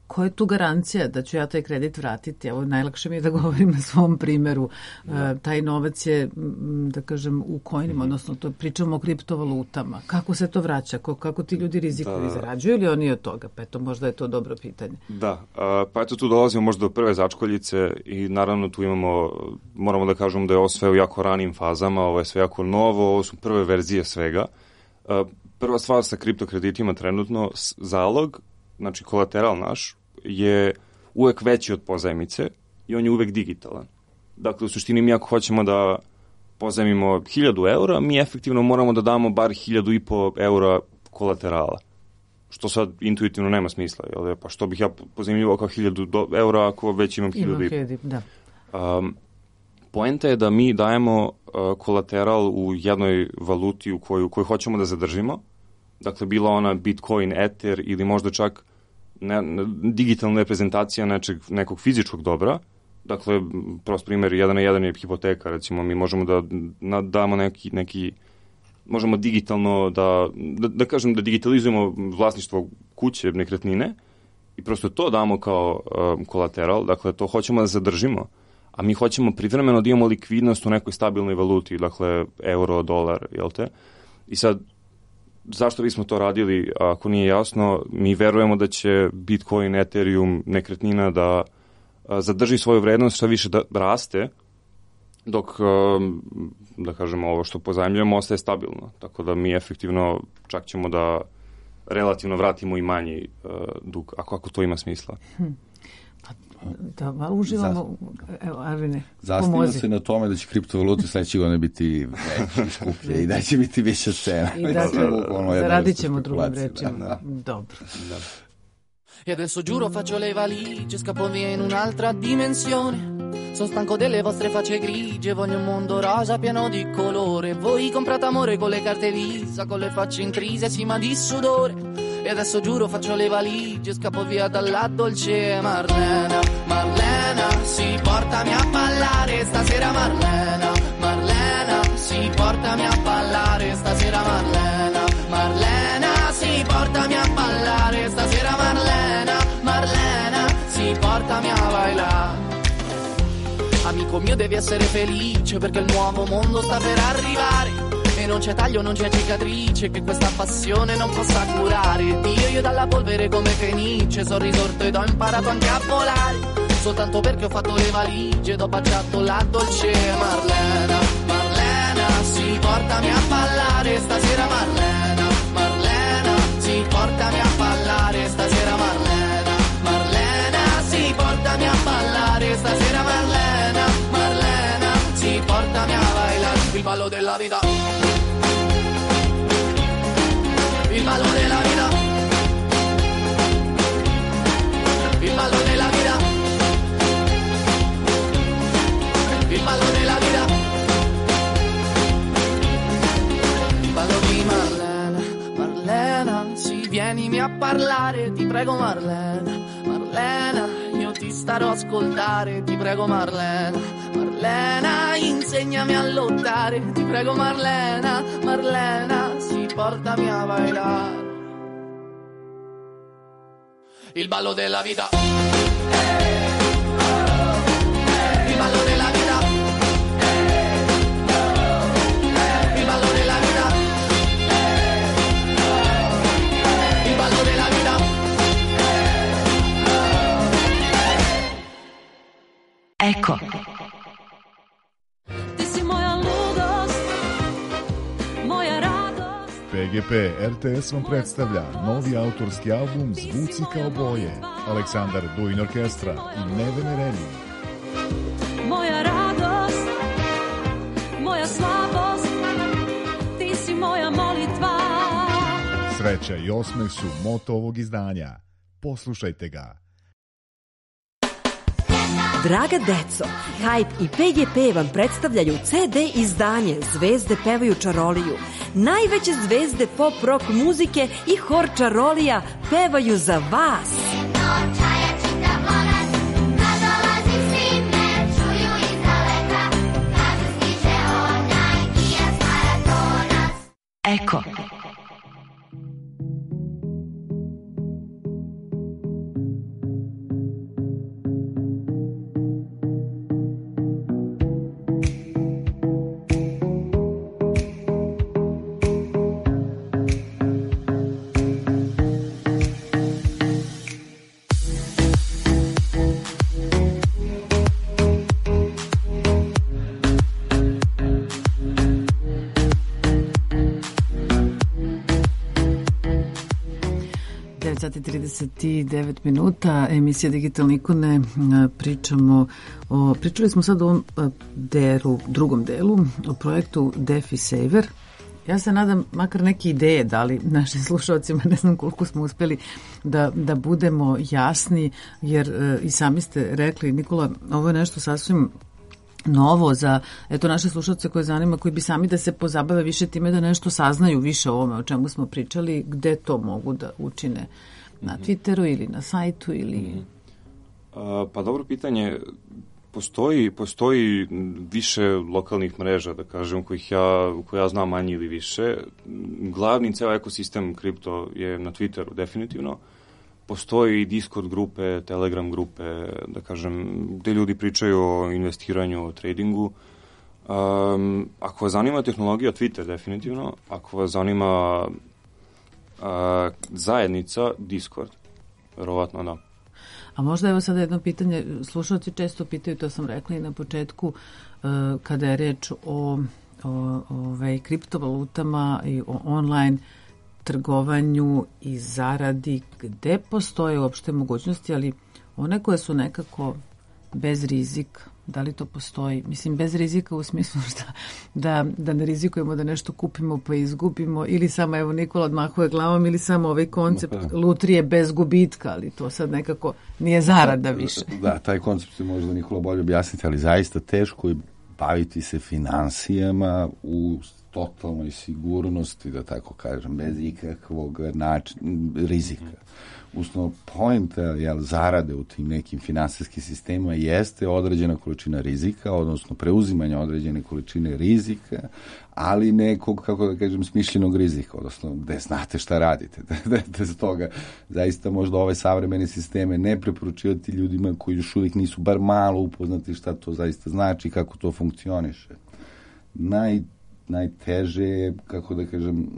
koja je tu garancija da ću ja taj kredit vratiti? Evo, najlakše mi je da govorim na svom primeru. Taj novac je, da kažem, u coinima, odnosno to pričamo o kriptovalutama. Kako se to vraća? Kako ti ljudi rizikuju? Zarađuju li oni od toga? Pa eto, možda je to dobro pitanje. Da, pa eto tu dolazimo možda do prve začkoljice i naravno tu moramo da kažemo da je ovo sve u jako ranim fazama, ovo je sve jako novo, ovo su prve verzije svega. Prva stvar sa kriptokreditima trenutno, zalog, znači kolateral naš, je uvek veći od pozajmice i on je uvek digitalan. Dakle, u suštini mi ako hoćemo da pozajmimo 1000 eura, mi efektivno moramo da damo bar 1500 eura kolaterala. Što sad intuitivno nema smisla. Jel? Pa što bih ja pozajmljivao kao 1000 eura ako već imam 1500? Da. Poenta je da mi dajemo kolateral u jednoj valuti u koju hoćemo da zadržimo. Dakle, bila ona Bitcoin, Ether ili možda čak digitalna reprezentacija nekog fizičkog dobra. Dakle, prost primjer, 1 na 1 je hipoteka, recimo, mi možemo da damo neki možemo digitalno da kažem da digitalizujemo vlasništvo kuće, nekretnine i prosto to damo kao kolateral, dakle, to hoćemo da zadržimo, a mi hoćemo privremeno da imamo likvidnost u nekoj stabilnoj valuti, dakle, euro, dolar, jel te? I sad, zašto bismo to radili, ako nije jasno, mi verujemo da će Bitcoin, Ethereum, nekretnina da zadrži svoju vrednost, što više da raste, dok, da kažemo, ovo što pozajmljujemo ostaje stabilno. Tako da mi efektivno čak ćemo da relativno vratimo i manji dug, ako to ima smisla. Da, uživamo. Evo, Arvine, zasniva se na tome da će kriptovalute sledeće godine biti veće, skuplje i da će biti više cena. I dakle, zaradit ćemo drugim rečima. Dobro. E adesso giuro faccio le valigie, scappo via in un'altra dimensione. Sono stanco delle vostre facce grigie, voglio un mondo rosa pieno di colore. Voi comprate amore con le carte Visa, con le facce intrise, sì ma di sudore. E adesso giuro faccio le valigie, scappo via dalla dolce Marlena. Marlena, sì, portami a ballare stasera Marlena. Marlena, sì, portami a ballare stasera Marlena. Marlena, sì, portami a ballare stasera Marlena. Marlena, sì, portami a bailar. Amico mio devi essere felice perché il nuovo mondo sta per arrivare e non c'è taglio, non c'è cicatrice che questa passione non possa curare. Io dalla polvere come fenice sono risorto ed ho imparato anche a volare soltanto perché ho fatto le valigie ed ho baciato la dolce Marlena. Marlena, sì, portami a ballare stasera Marlena. Marlena, sì, portami a ballare stasera Marlena. Marlena, sì, portami a ballare stasera Marlena. Marlena, sì, portami a bailar il ballo della vita. Il ballo della vita. Il ballo della vita. Il ballo della vita. Il ballo di Marlena. Marlena, sì, vienimi a parlare, ti prego Marlena. Marlena, io ti starò a ascoltare, ti prego Marlena. Marlena, insegnami a lottare, ti prego Marlena. Marlena, sì, portami a bailar il ballo della vita. Il ballo della vita. Il ballo della vita. Il ballo della vita. Eko. Ti si moja ludost, moja radost. PGP RTS vam predstavlja novi autorski album Zvuci kao boje, Aleksandar Duin Orkestra i Nevene Relji. Moja radost, moja slabost, ti si moja molitva. Sreća i osmeh su moto ovog izdanja. Poslušajte ga. Draga deco, Hype i PGP vam predstavljaju CD izdanje Zvezde pevaju čaroliju. Najveće zvezde pop rock muzike i hor čarolija pevaju za vas. Eko. 9:39 minuta, emisija Digitalne ikone. Pričali smo sad o ovom drugom delu, o projektu DeFi Saver. Ja se nadam, makar neke ideje dali našim slušalcima, ne znam koliko smo uspeli da budemo jasni, jer i sami ste rekli, Nikola, ovo je nešto sasvim novo za naše slušalce koje zanima, koji bi sami da se pozabave više time, da nešto saznaju više o ovome o čemu smo pričali, gde to mogu da učine, na Twitteru ili na sajtu ili... Pa dobro pitanje. Postoji više lokalnih mreža, da kažem, koje ja znam manje ili više. Glavni ceo ekosistem kripto je na Twitteru, definitivno. Postoji i Discord grupe, Telegram grupe, da kažem, gde ljudi pričaju o investiranju, o tradingu. Ako vas zanima tehnologija, Twitter, definitivno. Ako vas zanima zajednica, Discord. Verovatno, da. A možda evo sada jedno pitanje, slušalci često pitaju, to sam rekla i na početku, kada je reč o kriptovalutama i o online trgovanju i zaradi, gde postoje uopšte mogućnosti, ali one koje su nekako bez rizika, da li to postoji? Mislim, bez rizika u smislu da ne rizikujemo da nešto kupimo pa izgubimo, ili samo, evo, Nikola odmahuje glavom, ili samo ovaj koncept lutrije bez gubitka, ali to sad nekako nije zarada više. Da, taj koncept se možda Nikola bolje objasniti, ali zaista teško je baviti se finansijama u totalnoj sigurnosti, da tako kažem, bez ikakvog rizika. Usno, poenta zarade u tim nekim finansijskim sistemima jeste određena količina rizika, odnosno preuzimanja određene količine rizika, ali nekog, kako da kažem, smišljenog rizika, odnosno gde znate šta radite. Da z toga zaista možda ove savremene sisteme ne preporučivati ljudima koji još uvijek nisu bar malo upoznati šta to zaista znači, kako to funkcioniše. Najteže, kako da kažem,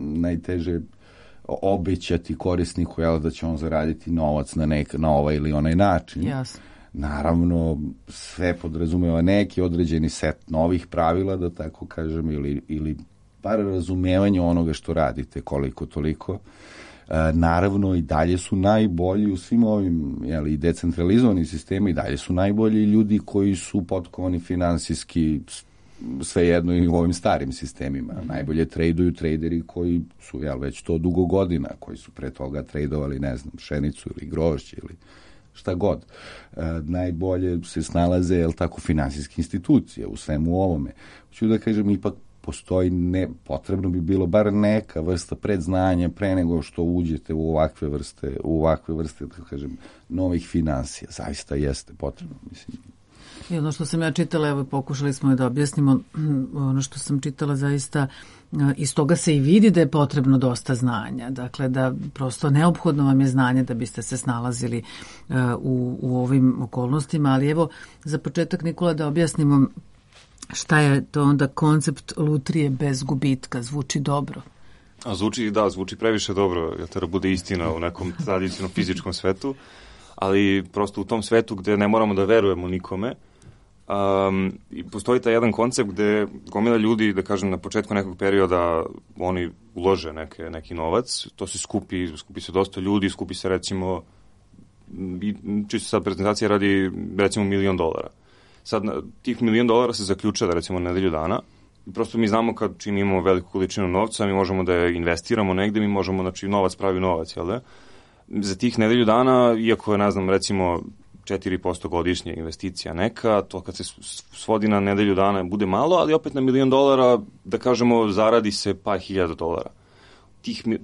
obećati korisniku da će on zaraditi novac na ovaj ili onaj način. Jasno. Naravno, sve podrazumeva neki određeni set novih pravila, da tako kažem, ili bar razumevanje onoga što radite, koliko toliko. Naravno, i dalje su najbolji u svim ovim i decentralizovani sistemi, i dalje su najbolji ljudi koji su potkovani finansijski, svejedno i u ovim starim sistemima. Najbolje traduju traderi koji su već to dugo godina, koji su pre toga tradovali, ne znam, pšenicu ili grožđe ili šta god. Najbolje se snalaze, finansijske institucije u svemu ovome. Hoću da kažem, ipak postoji, potrebno bi bilo bar neka vrsta predznanja pre nego što uđete u ovakve vrste, da kažem, novih finansija. Zaista jeste potrebno, mislim. I ono što sam ja čitala, evo pokušali smo da objasnimo, ono što sam čitala zaista, iz toga se i vidi da je potrebno dosta znanja. Dakle, da prosto neophodno vam je znanje da biste se snalazili u ovim okolnostima, ali evo za početak, Nikola, da objasnimo šta je to onda koncept lutrije bez gubitka. Zvuči dobro. Zvuči previše dobro, jer treba bude istina u nekom tradicionalnom fizičkom svetu, ali prosto u tom svetu gde ne moramo da verujemo nikome, postoji taj jedan koncept gde gomila ljudi, da kažem, na početku nekog perioda oni ulože neki novac, to se skupi se dosta ljudi, skupi se recimo, čisto sad prezentacija radi recimo $1.000.000. Sad tih $1.000.000 se zaključa da recimo nedelju dana i prosto mi znamo kad činimo veliku količinu novca, mi možemo da je investiramo negde, mi možemo, znači novac pravi novac, jel da? Za tih nedelju dana, iako je, ne znam, recimo 4% godišnje investicija neka, to kad se svodi na nedelju dana bude malo, ali opet na $1.000.000, da kažemo, zaradi se par hiljada dolara.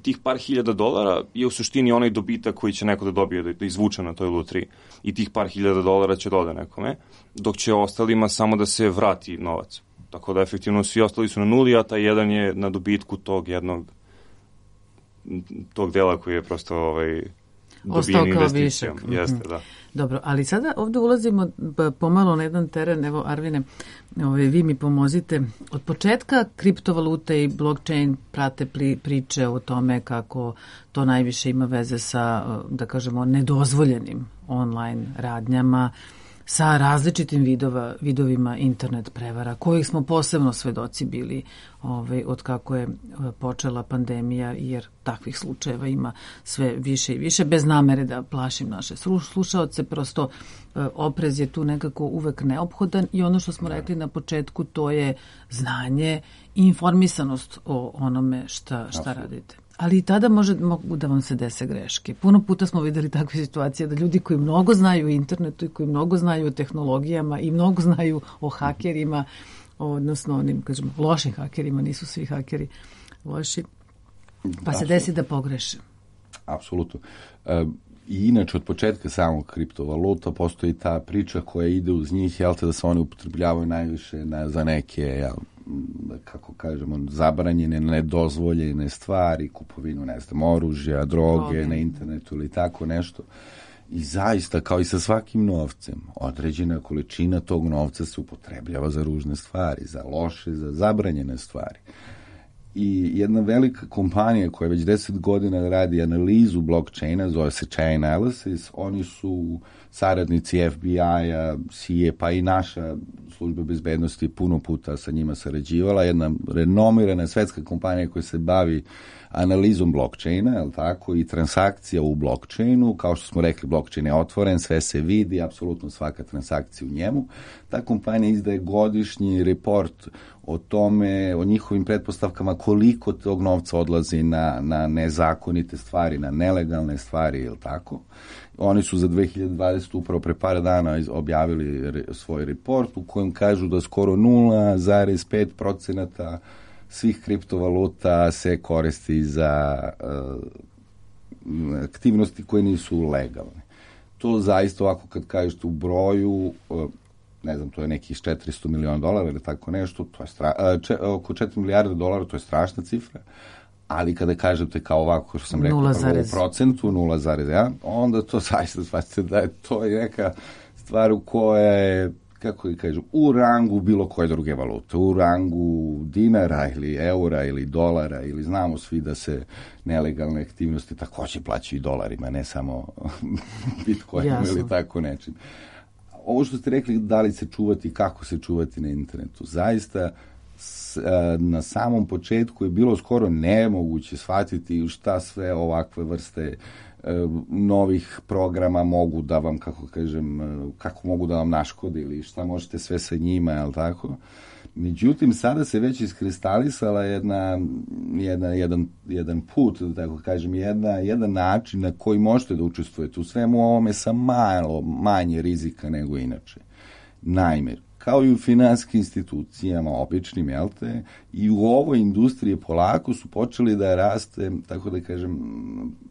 Tih par hiljada dolara je u suštini onaj dobitak koji će neko da dobije, da izvuče na toj lutriji. I tih par hiljada dolara će dode nekome, dok će ostalima samo da se vrati novac. Tako da efektivno svi ostali su na nuli, a taj jedan je na dobitku tog dela koji je prosto dobijen investicijom. Jeste, da. Dobro, ali sada ovde ulazimo pomalo na jedan teren. Evo, Arvine, vi mi pomozite. Od početka kriptovalute i blockchain prate priče o tome kako to najviše ima veze sa, da kažemo, nedozvoljenim online radnjama, sa različitim vidovima internet prevara, kojih smo posebno svedoci bili od kako je počela pandemija, jer takvih slučajeva ima sve više i više, bez namere da plašim naše slušaoce, prosto oprez je tu nekako uvek neophodan i ono što smo rekli na početku, to je znanje i informisanost o onome šta radite. Ali i tada mogu da vam se dese greške. Puno puta smo videli takve situacije da ljudi koji mnogo znaju o internetu i koji mnogo znaju o tehnologijama i mnogo znaju o hakerima, odnosno onim, kažemo, lošim hakerima, nisu svi hakeri loši, pa se desi da pogreše. Apsolutno. I inače, od početka samog kriptovaluta postoji ta priča koja ide uz njih, da se oni upotrebljavaju najviše za neke, kako kažemo, zabranjene, nedozvoljene stvari, kupovinu, oružja, droge na internetu ili tako nešto. I zaista, kao i sa svakim novcem, određena količina tog novca se upotrebljava za ružne stvari, za loše, za zabranjene stvari. I jedna velika kompanija koja već 10 godina radi analizu blockchaina, zove se Chainalysis, oni su saradnici FBI-a, CIA, pa i naša služba bezbednosti puno puta sa njima sarađivala, jedna renomirana svetska kompanija koja se bavi analizom blockchaina, i transakcija u blockchainu. Kao što smo rekli, blockchain je otvoren, sve se vidi, apsolutno svaka transakcija u njemu. Ta kompanija izdaje godišnji report o tome, o njihovim pretpostavkama koliko tog novca odlazi na nezakonite stvari, na nelegalne stvari, Oni su za 2020 upravo pre par dana objavili svoj report u kojem kažu da skoro 0,5% svih kriptovaluta se koristi za aktivnosti koje nisu legalne. To zaista ovako kad kažete u broju, ne znam, to je nekih $400 miliona ili tako nešto, to je oko $4 milijarde, to je strašna cifra, ali kada kažete kao ovako, što sam rekao, 0,1%, onda to zaista shvatite da je to neka stvar u koja je, kako da kažem, u rangu bilo koje druge valute, u rangu dinara ili eura ili dolara, ili znamo svi da se nelegalne aktivnosti takođe plaćaju dolarima, ne samo bitcoinom ili tako nečim. Ovo što ste rekli, da li se čuvati, kako se čuvati na internetu, zaista na samom početku je bilo skoro nemoguće shvatiti šta sve ovakve vrste novih programa mogu da vam, kako mogu da vam naškode ili šta možete sve sa njima, Međutim, sada se već iskristalisala jedan put, da tako kažem, jedan način na koji možete da učestvujete u svemu ovome sa malo manje rizika nego inače. Naime, kao i u finansijskim institucijama, običnim, i u ovoj industriji polako su počeli da raste, tako da kažem,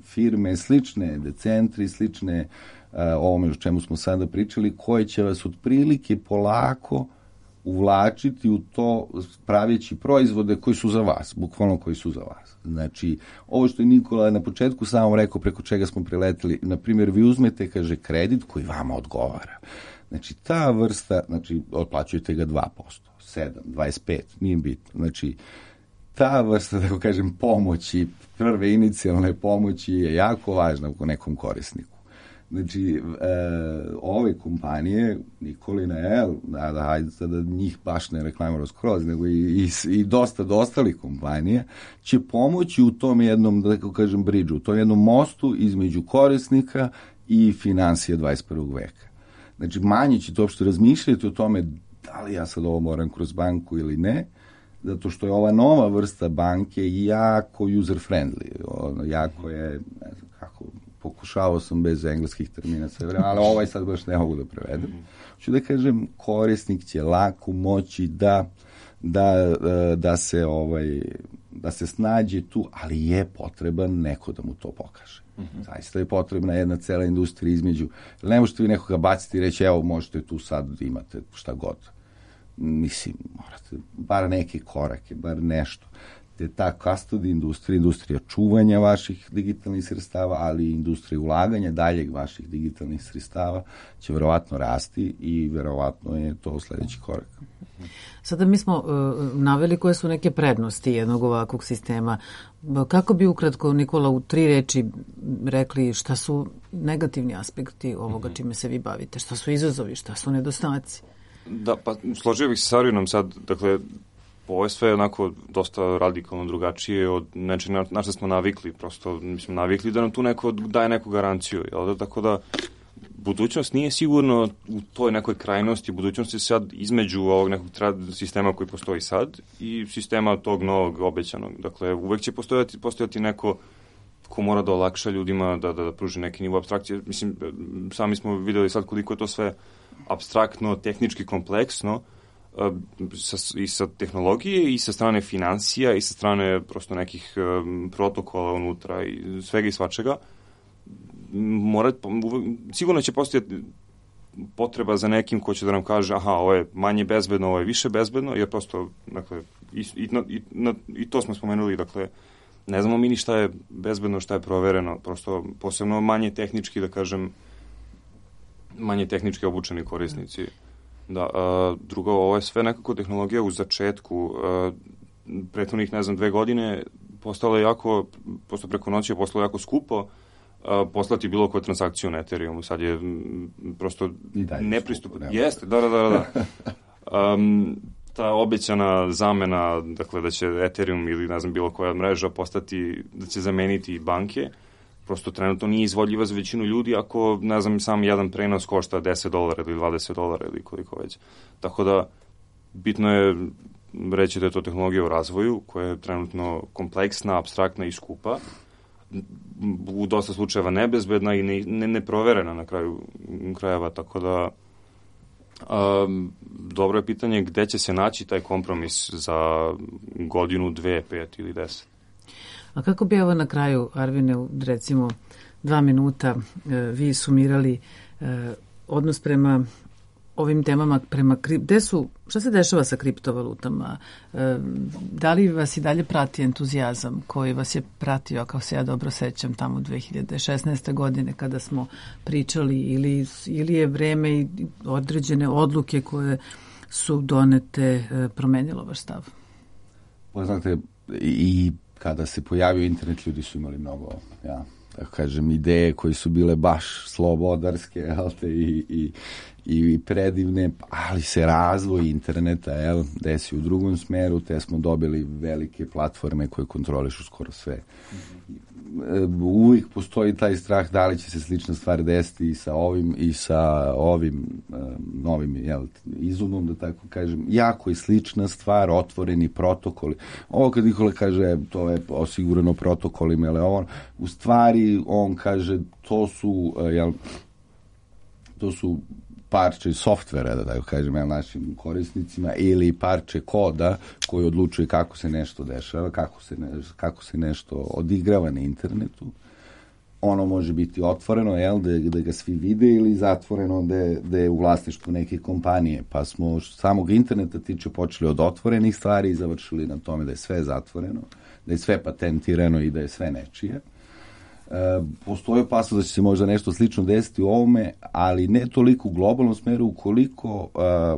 firme slične, decentri, slične ovome o čemu smo sada pričali, koje će vas otprilike polako uvlačiti u to praveći proizvode koji su za vas, bukvalno koji su za vas. Znači, ovo što je Nikola na početku samo rekao, preko čega smo preleteli, na primjer, vi uzmete, kaže, kredit koji vama odgovara. Znači, ta vrsta, otplaćujete ga 2%, 7, 25, nije bitno. Znači, ta vrsta, tako kažem, pomoći, prve inicijalne pomoći je jako važna u nekom korisniku. Znači, ove kompanije, Nikolina, hajde da njih baš ne reklamiramo skroz, nego i dosta ostalih kompanija, će pomoći u tom jednom, da tako kažem, bridžu, u tom jednom mostu između korisnika i financija 21. veka. Znači, manje ćete uopšte razmišljati o tome da li ja sad ovo moram kroz banku ili ne, zato što je ova nova vrsta banke jako user-friendly, jako je, ne znam kako, pokušavao sam bez engleskih termina sve vreme, ali ovaj sad baš ne mogu da prevedem. Hoću da kažem, korisnik će lako moći da se snađe tu, ali je potreban neko da mu to pokaže. Zaista je potrebna jedna cela industrija između. Ne možete vi nekoga baciti i reći, evo, možete tu sad imate šta god. Mislim, morate bar neke korake, bar nešto. te ta custody industrija čuvanja vaših digitalnih sredstava, ali i industrija ulaganja daljeg vaših digitalnih sredstava će verovatno rasti i verovatno je to sledeći korak. Sada mi smo naveli koje su neke prednosti jednog ovakvog sistema. Kako bi ukratko, Nikola, u 3 reči rekli šta su negativni aspekti ovoga čime se vi bavite? Šta su izazovi, šta su nedostaci? Da, pa složio bih se sa Arvinom sad, dakle, ovo je sve onako dosta radikalno drugačije od nečeg na što smo navikli, prosto mi smo navikli da nam tu neko daje neku garanciju, jel da, tako da budućnost nije sigurno u toj nekoj krajnosti, budućnost je sad između ovog nekog sistema koji postoji sad i sistema tog novog obećanog. Dakle, uvek će postojati neko ko mora da olakša ljudima, da pruži neki nivo apstrakcije. Mislim, sami smo videli sad koliko je to sve apstraktno, tehnički kompleksno, i sa tehnologije, i sa strane financija, i sa strane prosto nekih protokola unutra, i svega i svačega. Sigurno će postojati potreba za nekim ko će da nam kaže aha, ovo je manje bezbedno, ovo je više bezbedno, jer prosto, dakle, i to smo spomenuli, dakle, ne znamo mi ni šta je bezbedno, šta je provereno, prosto posebno manje tehnički, da kažem, manje tehnički obučeni korisnici. Da, drugo, ovo je sve nekako tehnologija u začetku, prethodnih, 2 godine postalo je jako, posto preko noći je postalo jako skupo poslati bilo koju transakciju na Ethereumu. Sad je prosto nepristupno. Jeste, da. Ta obećana zamena, dakle da će Ethereum ili bilo koja mreža postati, da će zameniti banke, prosto trenutno nije izvodljiva za većinu ljudi ako, sam jedan prenos košta $10 ili $20 ili koliko već. Tako da, bitno je reći da je to tehnologija u razvoju, koja je trenutno kompleksna, apstraktna i skupa, u dosta slučajeva nebezbedna i neproverena na kraju krajeva, tako da dobro je pitanje gde će se naći taj kompromis za godinu, 2, 5 ili 10. A kako bi evo na kraju, Arvine, recimo 2 minuta vi sumirali odnos prema ovim temama, šta se dešava sa kriptovalutama? Da li vas i dalje prati entuzijazam koji vas je pratio, kao se ja dobro sećam, tamo 2016. godine kada smo pričali, ili je vreme i određene odluke koje su donete promenilo vaš stav? Znate, i kada se pojavio internet, ljudi su imali mnogo, tako kažem, ideje koje su bile baš slobodarske, i predivne, ali se razvoj interneta desi u drugom smeru, te smo dobili velike platforme koje kontrolišu skoro sve. Uvijek postoji taj strah da li će se slična stvar desiti i sa ovim novim izumom, da tako kažem. Jako je slična stvar, otvoreni protokoli. Ovo kad Nikola kaže to je osigurano protokolima, ali ovo, u stvari on kaže to su parče softvera, da tako kažem, našim korisnicima, ili parče koda koji odlučuje kako se nešto dešava, kako se nešto odigrava na internetu. Ono može biti otvoreno, da ga svi vide, ili zatvoreno da je u vlasništvu neke kompanije. Pa smo samog interneta tiče počeli od otvorenih stvari i završili na tome da je sve zatvoreno, da je sve patentirano i da je sve nečije. Postoji opasnost da će se možda nešto slično desiti u ovome, ali ne toliko u globalnom smeru, ukoliko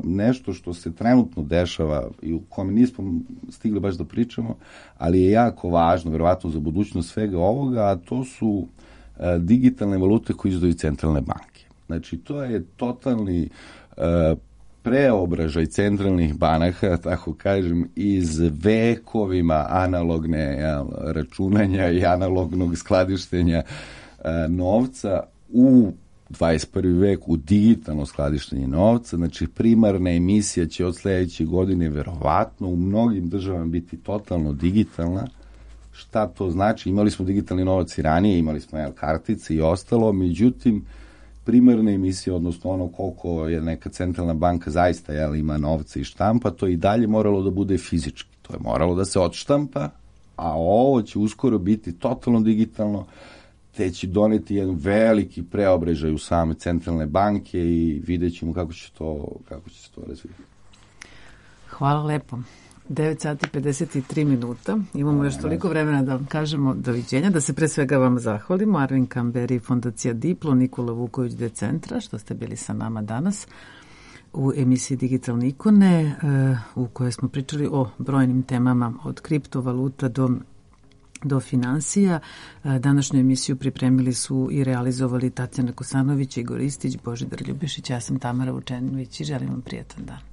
nešto što se trenutno dešava i u kome nismo stigli baš da pričamo, ali je jako važno, verovatno za budućnost svega ovoga, a to su digitalne valute koje izdaju centralne banke. Znači, to je totalni preobražaj centralnih banaka, tako kažem, iz vekovima analogne računanja i analognog skladištenja novca u 21. vek u digitalno skladištenje novca. Znači, primarna emisija će od sledeće godine verovatno u mnogim državama biti totalno digitalna. Šta to znači? Imali smo digitalni novac i ranije, imali smo kartice i ostalo, međutim, primarna emisija, odnosno ono koliko je neka centralna banka zaista ima novca i štampa, to je i dalje moralo da bude fizički. To je moralo da se odštampa, a ovo će uskoro biti totalno digitalno, te će doneti jedan veliki preobražaj u same centralne banke i vidjet ćemo kako će se to razvijeti. Hvala lepo. 9 sati 53 minuta. Imamo još toliko vremena da vam kažemo doviđenja, da se pre svega vam zahvalimo. Arvin Kamberi, Fondacija Diplo, Nikola Vuković, Decentra, što ste bili sa nama danas u emisiji Digitalne ikone, u kojoj smo pričali o brojnim temama, od kriptovaluta do finansija. Današnju emisiju pripremili su i realizovali Tatjana Kosanović, Igor Istić, Božidar Ljubišić, ja sam Tamara Vučenović i želim vam prijatan dan.